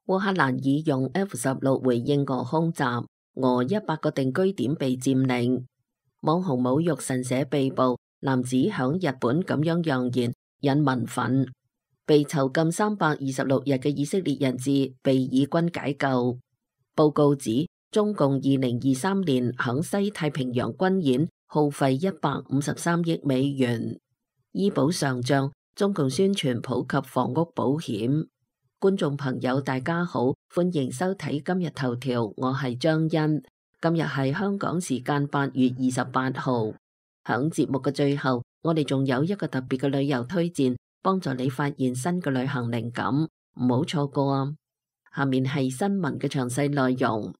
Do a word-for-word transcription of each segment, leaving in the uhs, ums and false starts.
烏克蘭已用 F 十六回應俄空襲，俄一百個定居點被佔領。網紅侮辱神社被捕，男子響日本咁樣揚言，引民憤。被囚禁三百二十六日嘅以色列人質被以軍解救。報告指，中共二零二三年響西太平洋軍演耗費一百五十三億美元。醫保上漲，中共宣傳普及房屋保險。觀眾朋友大家好，歡迎收睇今日頭條，我係張欣。今日係香港時間八月二十八號。響節目嘅最後，我哋仲有一個特別嘅旅遊推薦，幫助你發現新嘅旅行靈感，唔好錯過啊！下面係新聞嘅詳細內容。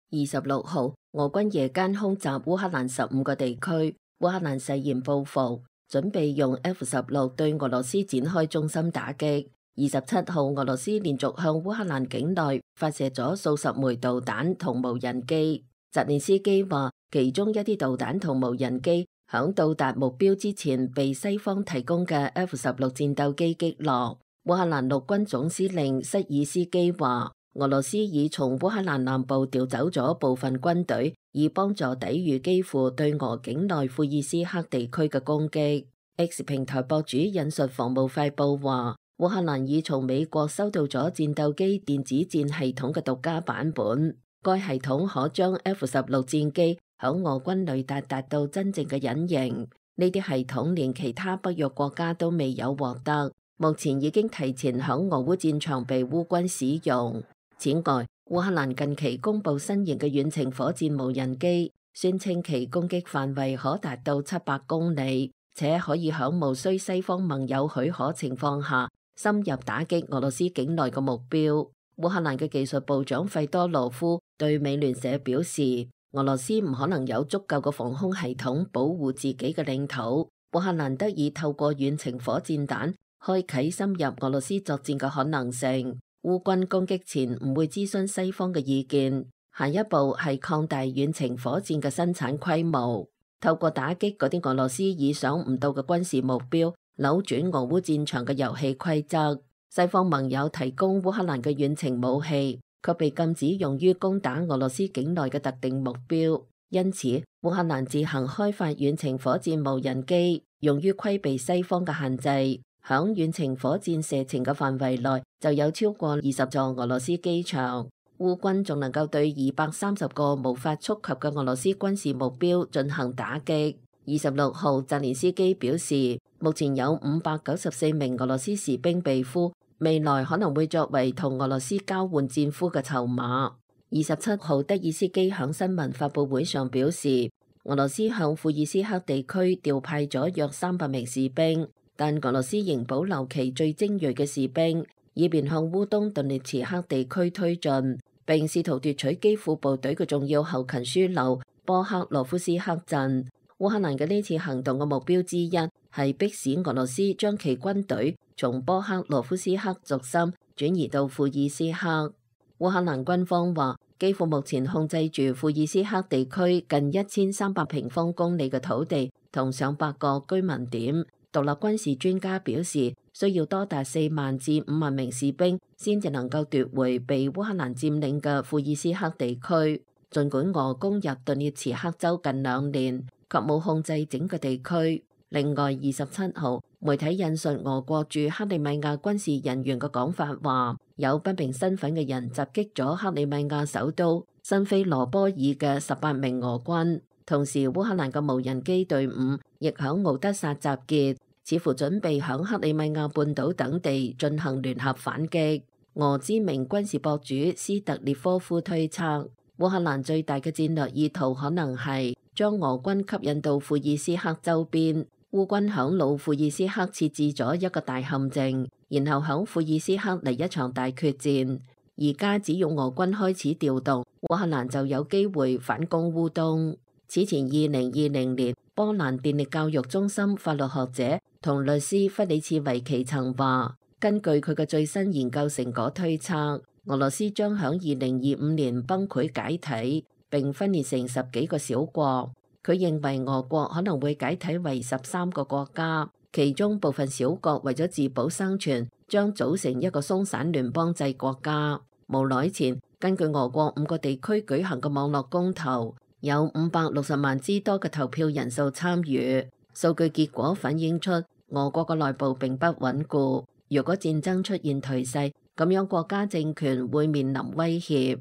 二十六號，俄軍夜間空襲烏克蘭十五個地區，烏克蘭誓言報復，準備用 F 十六對俄羅斯展開中心打擊。二十七號，俄羅斯連續向烏克蘭境內發射咗數十枚導彈同無人機。澤連斯基話，其中一啲導彈同無人機響到達目標之前，被西方提供嘅 F 十六戰鬥機擊落。烏克蘭陸軍總司令塞爾斯基話，俄羅斯已從烏克蘭南部調走咗部分軍隊，以幫助抵禦基輔對俄境內庫爾斯克地區嘅攻擊。X 平台博主引述防務快報話，烏克蘭已從美國收到咗戰鬥機電子戰系統嘅獨家版本，該系統可將 F 十六戰機響俄軍雷達達到真正嘅隱形。呢啲系統連其他北約國家都未有獲得，目前已經提前響俄烏戰場被烏軍使用。此外，烏克蘭近期公布新型嘅遠程火箭無人機，宣稱其攻擊範圍可達到七百公里，且可以響無需西方盟友許可情況下深入打擊俄羅斯境內嘅目標。烏克蘭嘅技術部長費多羅夫對美聯社表示，俄羅斯唔可能有足夠嘅防空系統保護自己嘅領土，烏克蘭得以透過遠程火箭彈開啟深入俄羅斯作戰嘅可能性。烏軍攻擊前唔會諮詢西方嘅意見，下一步係擴大遠程火箭嘅生產規模，透過打擊嗰啲俄羅斯意想唔到嘅軍事目標，扭轉俄烏戰場嘅遊戲規則。西方盟友提供烏克蘭嘅遠程武器，卻被禁止用於攻打俄羅斯境內嘅特定目標，因此烏克蘭自行開發遠程火箭無人機，用於規避西方嘅限制。響遠程火箭射程嘅範圍內，就有超過二十座俄羅斯機場。烏軍仲能夠對二百三十個無法觸及嘅俄羅斯軍事目標進行打擊。二十六號，澤連斯基表示，目前有五百九十四名俄羅斯士兵被俘，未來可能會作為同俄羅斯交換戰俘嘅籌碼。二十七號，德爾斯基響新聞發佈會上表示，俄羅斯向庫爾斯克地區調派咗約三百名士兵。但俄羅斯仍保留其最精銳嘅士兵，以便向烏東頓涅茨克地區推進，並試圖奪取基輔部隊嘅重要後勤樞紐波克羅夫斯克鎮。烏克蘭嘅呢次行動嘅目標之一係迫使俄羅斯將其軍隊從波克羅夫斯克軸心轉移到庫爾斯克。烏克蘭軍方話，基輔目前控制住庫爾斯克地區近一千三百平方公里嘅土地同上百個居民點。獨立軍事專家表示，需要多達四萬至五萬名士兵先至能夠奪回被烏克蘭佔領嘅庫爾斯克地區。儘管俄攻入頓涅茨克州近兩年，卻冇控制整個地區。另外，二十七號，媒體引述俄國駐克里米亞軍事人員嘅講法話，有不明身份嘅人襲擊咗克里米亞首都新菲羅波爾嘅十八名俄軍。同時，烏克蘭嘅無人機隊伍亦響敖德薩集結，似乎準備響克里米亞半島等地進行聯合反擊。俄知名軍事博主斯特列科夫推測，烏克蘭最大嘅戰略意圖可能係將俄軍吸引到庫爾斯克周邊。烏軍響老庫爾斯克設置咗一個大陷阱，然後響庫爾斯克嚟一場大決戰。而家只要俄軍開始調動，烏克蘭就有機會反攻烏東。此前二零二零年，波蘭電力教育中心法律學者同律師弗里茨維奇曾話，根據佢嘅最新研究成果推測，俄羅斯將響二零二五年崩潰解體，並分裂成十幾個小國。佢認為俄國可能會解體為十三個國家，其中部分小國為咗自保生存，將組成一個鬆散聯邦制國家。無耐前，根據俄國五個地區舉行嘅網絡公投，有五百六十萬之多嘅投票人數參與。數據結果反映出俄國嘅內部並不穩固。如果戰爭出現頹勢，咁樣國家政權會面臨威脅。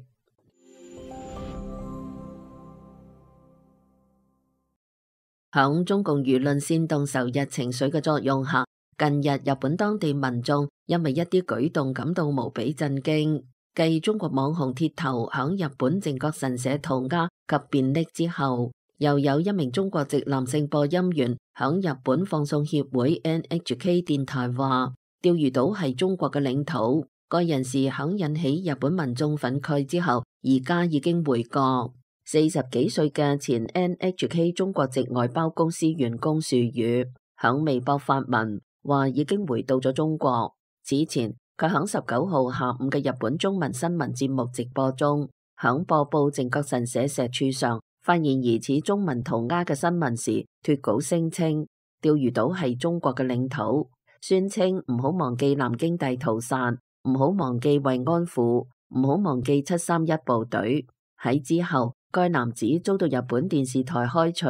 響中共輿論煽動仇日情緒嘅作用下，近日日本當地民眾因為一啲舉動感到無比震驚。繼中國網紅鐵頭響日本靖國神社塗鴉及便溺之後，又有一名中國籍男性播音員響日本放送協會 N H K 電台話，釣魚島係中國嘅領土。該人士響引起日本民眾憤慨之後，而家已經回國。四十幾歲嘅前 N H K 中國籍外包公司員工樹宇響微博發文話已經回到咗中國。此前佢響十九號下午嘅日本中文新聞節目直播中，響播報靖國神社石柱上發現疑似中文塗鴉嘅新聞時，脫稿聲稱釣魚島係中國嘅領土，宣稱唔好忘記南京大屠殺，唔好忘記慰安婦，唔好忘記七三一部隊。喺之後，該男子遭到日本電視台開除。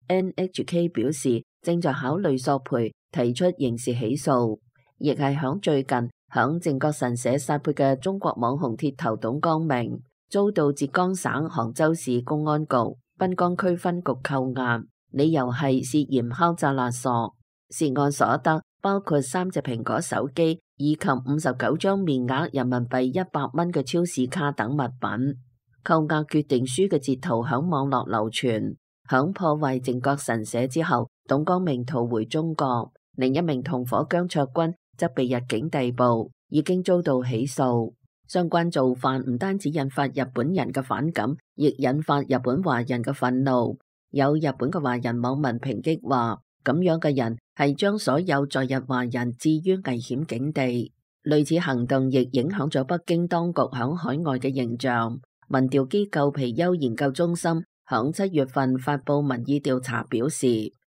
N H K 表示正在考慮索賠，提出刑事起訴。亦係響最近響靖國神社撒潑嘅中國網紅鐵頭董光明，遭到浙江省杭州市公安局濱江區分局扣押，理由係涉嫌敲詐勒索。涉案所得包括三隻蘋果手機以及五十九張面額人民幣一百蚊嘅超市卡等物品。扣押決定書嘅截圖響網絡流傳。響破壞靖國神社之後，董光明逃回中國，另一名同伙姜卓軍則被入境逮捕，已經遭到起訴。相關做法唔單止引發日本人嘅反感，亦引發日本華人嘅憤怒。有日本嘅華人網民抨擊話，咁樣嘅人係將所有在日華人置於危險境地。類似行動亦影響咗北京當局響海外嘅形象。民調機構皮尤研究中心響七月份發佈民意調查表示，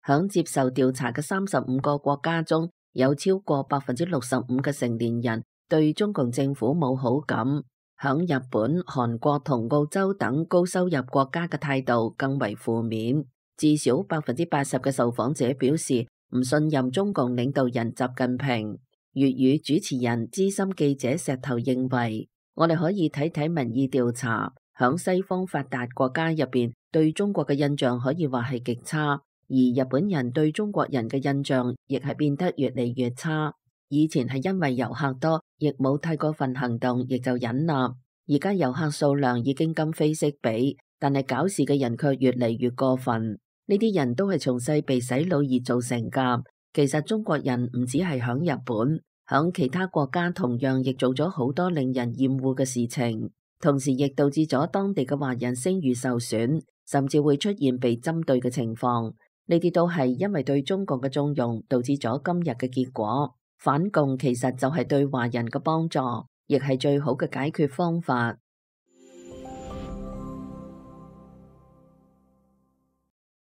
響接受調查嘅三十五個國家中，有超過百分之六十五嘅成年人對中共政府冇好感。響日本、韓國同澳洲等高收入國家嘅態度更為負面。至少百分之八十嘅受訪者表示唔信任中共領導人習近平。粵語主持人資深記者石頭認為，我哋可以睇睇民意調查，響西方發達國家入邊，對中國嘅印象可以話係極差，而日本人對中國人嘅印象亦係變得越嚟越差。以前係因為遊客多，亦冇太過分行動，亦就忍納。而家遊客數量已經今非昔比，但係搞事嘅人卻越嚟越過分。呢啲人都係從細被洗腦而造成噶。其實中國人唔止係響日本，響其他國家同樣亦做咗好多令人厭惡嘅事情，同時亦導致咗當地嘅華人聲譽受損，甚至會出現被針對嘅情況。呢啲都係因為對中共嘅縱容導致咗今日嘅結果。反共其實就係對華人嘅幫助，亦係最好嘅解決方法。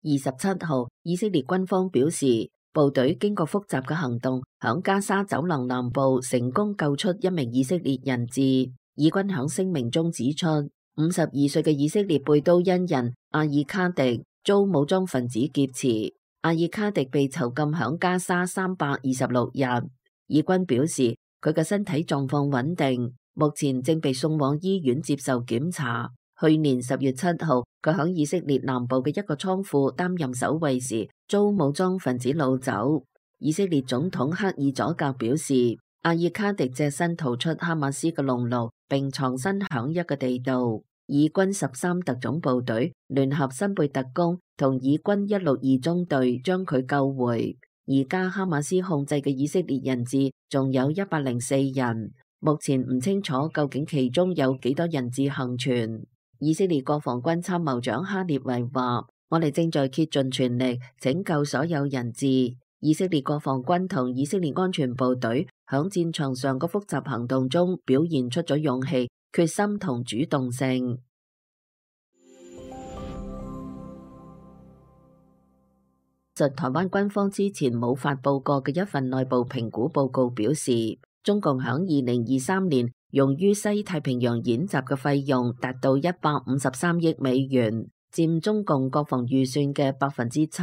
二十七號，以色列軍方表示，部隊經過複雜嘅行動，響加沙走廊南部成功救出一名以色列人質。以軍響聲明中指出，五十二歲嘅以色列貝都因人阿爾卡迪遭武裝分子劫持。阿爾卡迪被囚禁響加沙三百二十六日。以軍表示，佢嘅身體狀況穩定，目前正被送往醫院接受檢查。去年十月七號，佢響以色列南部嘅一個倉庫擔任守衛時，遭武裝分子擄走。以色列總統克爾佐格表示，阿爾卡迪隻身逃出哈馬斯嘅籠牢，並藏身響一個地道。以軍十三特種部隊聯合新貝特工同以軍一六二中隊將佢救回。而家哈馬斯控制嘅以色列人質仲有一百零四人，目前唔清楚究竟其中有幾多人質幸存。以色列國防軍參謀長哈列維話，我哋正在竭盡全力拯救所有人質。以色列國防軍同以色列安全部隊響戰場上嘅複雜行動中表現出咗勇氣、決心同主動性。實台灣軍方之前冇發佈過嘅一份內部評估報告表示，中共響二零二三年用於西太平洋演習嘅費用達到一百五十三億美元，佔中共國防預算嘅百分之七。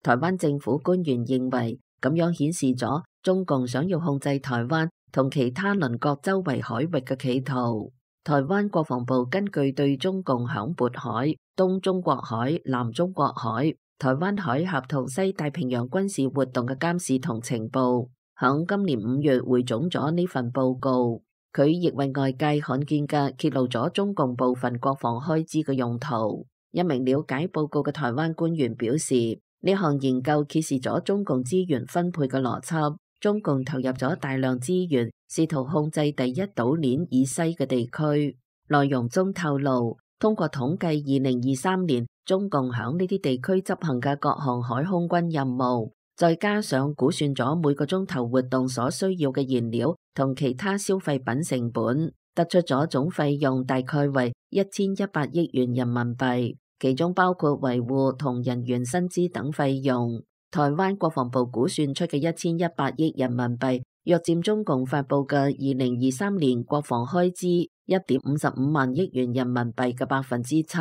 台灣政府官員認為，咁樣顯示咗中共想要控制台灣同其他鄰國周圍海域嘅企圖。台灣國防部根據對中共響渤海、東中國海、南中國海、台灣海峽同西太平洋軍事活動嘅監視同情報，響今年五月匯總咗呢份報告。佢亦為外界罕見嘅揭露咗中共部分國防開支嘅用途。一名了解報告嘅台灣官員表示，呢項研究揭示咗中共資源分配嘅邏輯。中共投入咗大量資源，試圖控制第一島鏈以西嘅地區。內容中透露，通過統計二零二三年中共響呢啲地區執行嘅各項海空軍任務，再加上估算咗每個鐘頭活動所需要嘅燃料同其他消費品成本，得出咗總費用大概為一千一百億元人民幣，其中包括維護同人員薪資等費用。台灣國防部估算出嘅一千一百億人民幣，約佔中共發佈嘅二零二三年國防開支一點五十五萬億元人民幣嘅百分之七，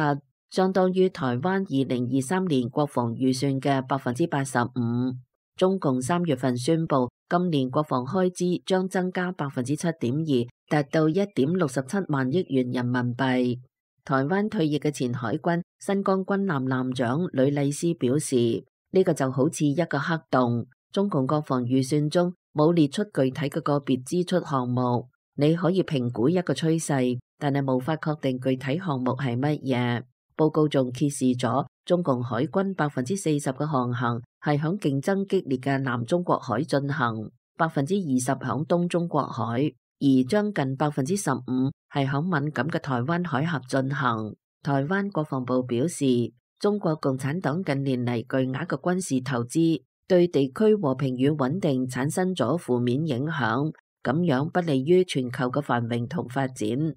相當於台灣二零二三年國防預算嘅百分之八十五。中共三月份宣布，今年國防開支將增加百分之七點二，達到一點六十七萬億元人民幣。台灣退役嘅前海軍新疆軍艦艦長呂麗斯表示，呢個就好似一個黑洞，中共國防預算中冇列出具體嘅個別支出項目。你可以評估一個趨勢，但係無法確定具體項目係乜嘢。報告仲揭示咗中共海軍百分之四十嘅航行係響競爭激烈嘅南中國海進行，百分之二十響東中國海，而將近百分之十五係響敏感嘅台灣海峽進行。台灣國防部表示，中國共產黨近年嚟巨額嘅軍事投資，對地區和平與穩定產生咗負面影響，咁樣不利於全球嘅繁榮同發展。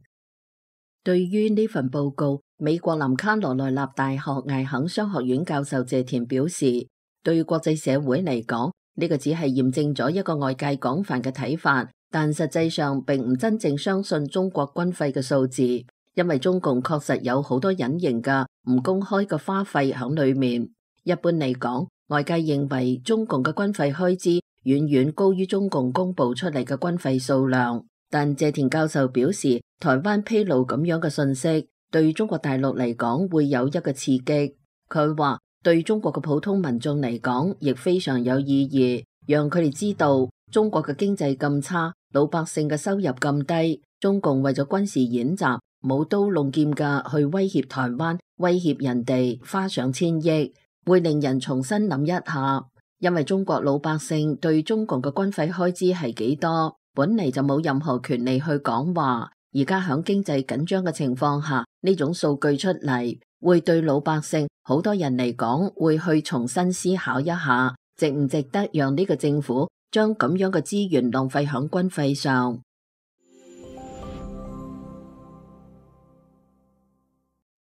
對於呢份報告，美國南卡羅來納大學艾肯商學院教授謝田表示，對國際社會嚟講，呢個只係驗證咗一個外界廣泛嘅睇法，但實際上並唔真正相信中國軍費嘅數字。因為中共確實有好多隱形嘅唔公開嘅花費喺裏面。一般嚟講，外界認為中共嘅軍費開支遠遠高於中共公布出嚟嘅軍費數量。但謝田教授表示，台灣披露咁樣嘅信息，對中國大陸嚟講會有一個刺激。佢話對中國嘅普通民眾嚟講，亦非常有意義，讓佢哋知道中國嘅經濟咁差，老百姓嘅收入咁低，中共為咗軍事演習，舞刀弄劍嘅去威脅台灣，威脅人哋，花上千億，會令人重新諗一下。因為中國老百姓對中共嘅軍費開支係幾多，本嚟就冇任何權利去講話。而家響經濟緊張嘅情況下，呢種數據出嚟，會對老百姓好多人嚟講，會去重新思考一下，值唔值得讓呢個政府將咁樣嘅資源浪費響軍費上。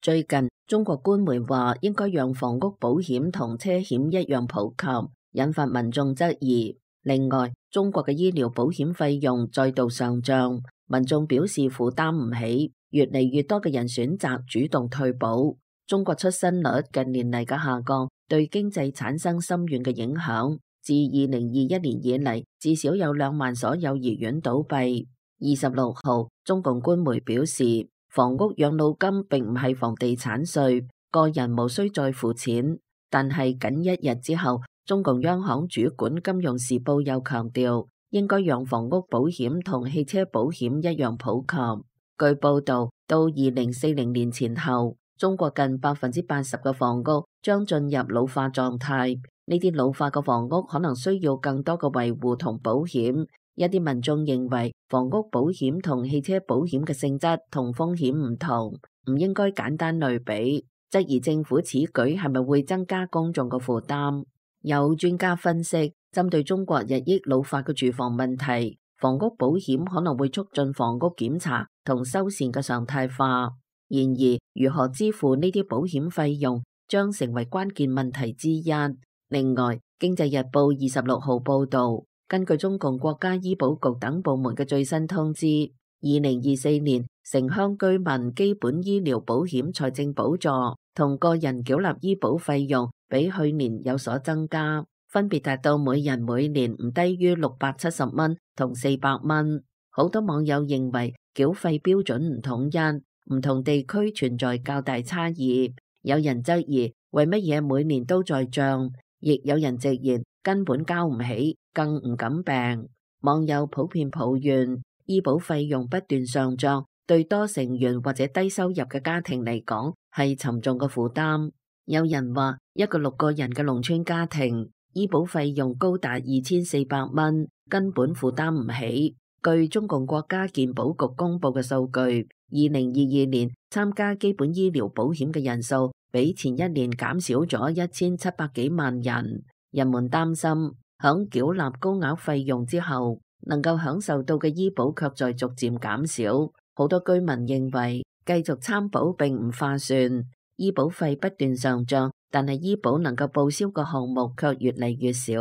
最近中國官媒話應該讓房屋保險同車險一樣普及，引發民眾質疑。另外，中國嘅醫療保險費用再度上漲，民眾表示負擔唔起，越嚟越多嘅人選擇主動退保。中國出生率近年嚟嘅下降，對經濟產生深遠嘅影響。自二零二一年以嚟，至少有兩萬所幼兒園倒閉。二十六號，中共官媒表示，房屋養老金並唔係房地產稅，個人無需再付錢。但係僅一日之後，中共央行主管金融時報又強調，應該讓房屋保險同汽車保險一樣普及。據報道，到二零四零年前後，中國近百分之八十嘅房屋將進入老化狀態。呢啲老化嘅房屋可能需要更多嘅維護同保險。一啲民眾認為房屋保險同汽車保險嘅性質同風險唔同，唔應該簡單類比，質疑政府此舉係咪會增加公眾嘅負擔。有專家分析，針對中國日益老化嘅住房問題，房屋保險可能會促進房屋檢查同修繕嘅常態化。然而，如何支付呢啲保險費用將成為關鍵問題之一。另外，《經濟日報》二十六號報道，根據中共國家醫保局等部門嘅最新通知，二零二四年城鄉居民基本醫療保險財政補助同個人繳納醫保費用比去年有所增加，分別達到每人每年唔低於六百七十蚊同四百蚊。好多網友認為繳費標準唔統一，唔同地區存在較大差異。有人質疑為乜嘢每年都在漲，亦有人直言根本交唔起，更唔敢病。網友普遍抱怨醫保費用不斷上漲，對多成員或者低收入嘅家庭嚟講係沉重嘅負擔。有人話一個六個人嘅農村家庭醫保費用高達二千四百蚊，根本負擔唔起。據中共國家健保局公布嘅數據，二零二二年參加基本醫療保險嘅人數比前一年減少咗一千七百幾萬人。人們擔心響繳納高額費用之後，能夠享受到嘅醫保卻在逐漸減少。好多居民認為繼續參保並唔划算，醫保費不斷上漲，但係醫保能夠報銷嘅項目卻越嚟越少。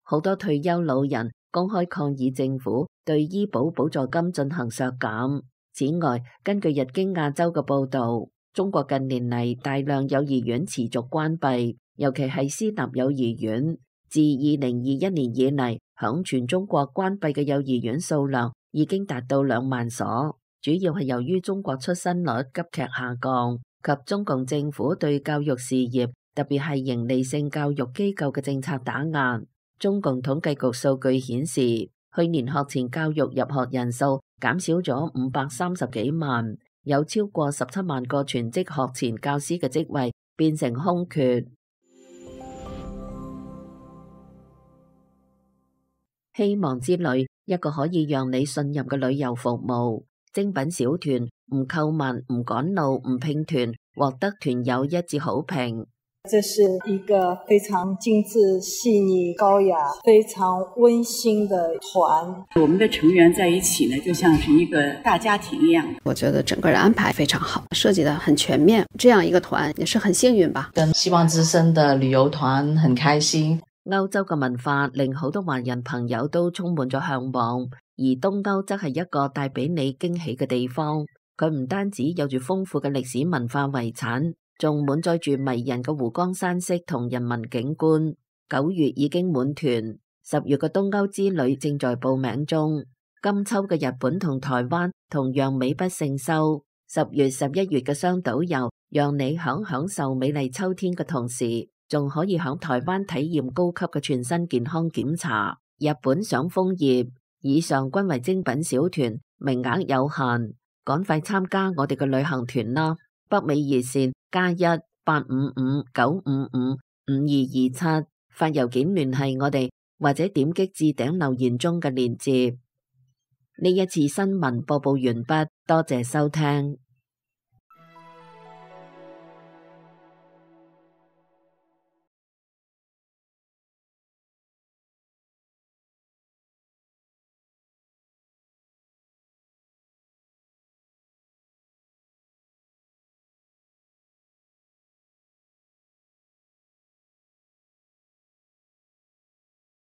好多退休老人公開抗議政府對醫保補助金進行削減。此外，根據日經亞洲嘅報導，中國近年嚟大量幼兒園持續關閉，尤其係私立幼兒園。自二零二一年以嚟，響全中國關閉嘅幼兒園數量已經達到兩萬所，主要係由於中國出生率急劇下降及中共政府對教育事業，特別係營利性教育機構嘅政策打壓。中共統計局數據顯示，去年學前教育入學人數減少咗五百三十幾萬，有超過十七萬個全職學前教師嘅職位變成空缺。希望之旅，一個可以讓你信任嘅旅遊服務。精品小團，唔購物、唔趕路、唔拼團，獲得團友一致好評。這是一個非常精緻、細膩、高雅、非常溫馨的團。我們的成員在一起呢，就像是一個大家庭一樣。我覺得整個人安排非常好，設計得很全面。這樣一個團也是很幸運吧。跟希望之聲的旅遊團很開心。歐洲嘅文化令好多華人朋友都充滿咗向往，而東歐則係一個帶俾你驚喜嘅地方。佢唔單止有住豐富嘅歷史文化遺產，仲滿載住迷人嘅湖光山色同人文景觀。九月已經滿團，十月嘅東歐之旅正在報名中。今秋嘅日本同台灣同樣美不勝收。十月、十一月嘅雙島遊，讓你響享受美麗秋天嘅同時，仲可以響台灣體驗高級嘅全身健康檢查。日本賞楓葉，以上均為精品小團，名額有限，趕快參加我哋嘅旅行團啦！北美熱線加一八五五九五五五二二七，發郵件聯繫我哋，或者點擊置頂留言中嘅鏈接。呢一次新聞播報完畢，多謝收聽。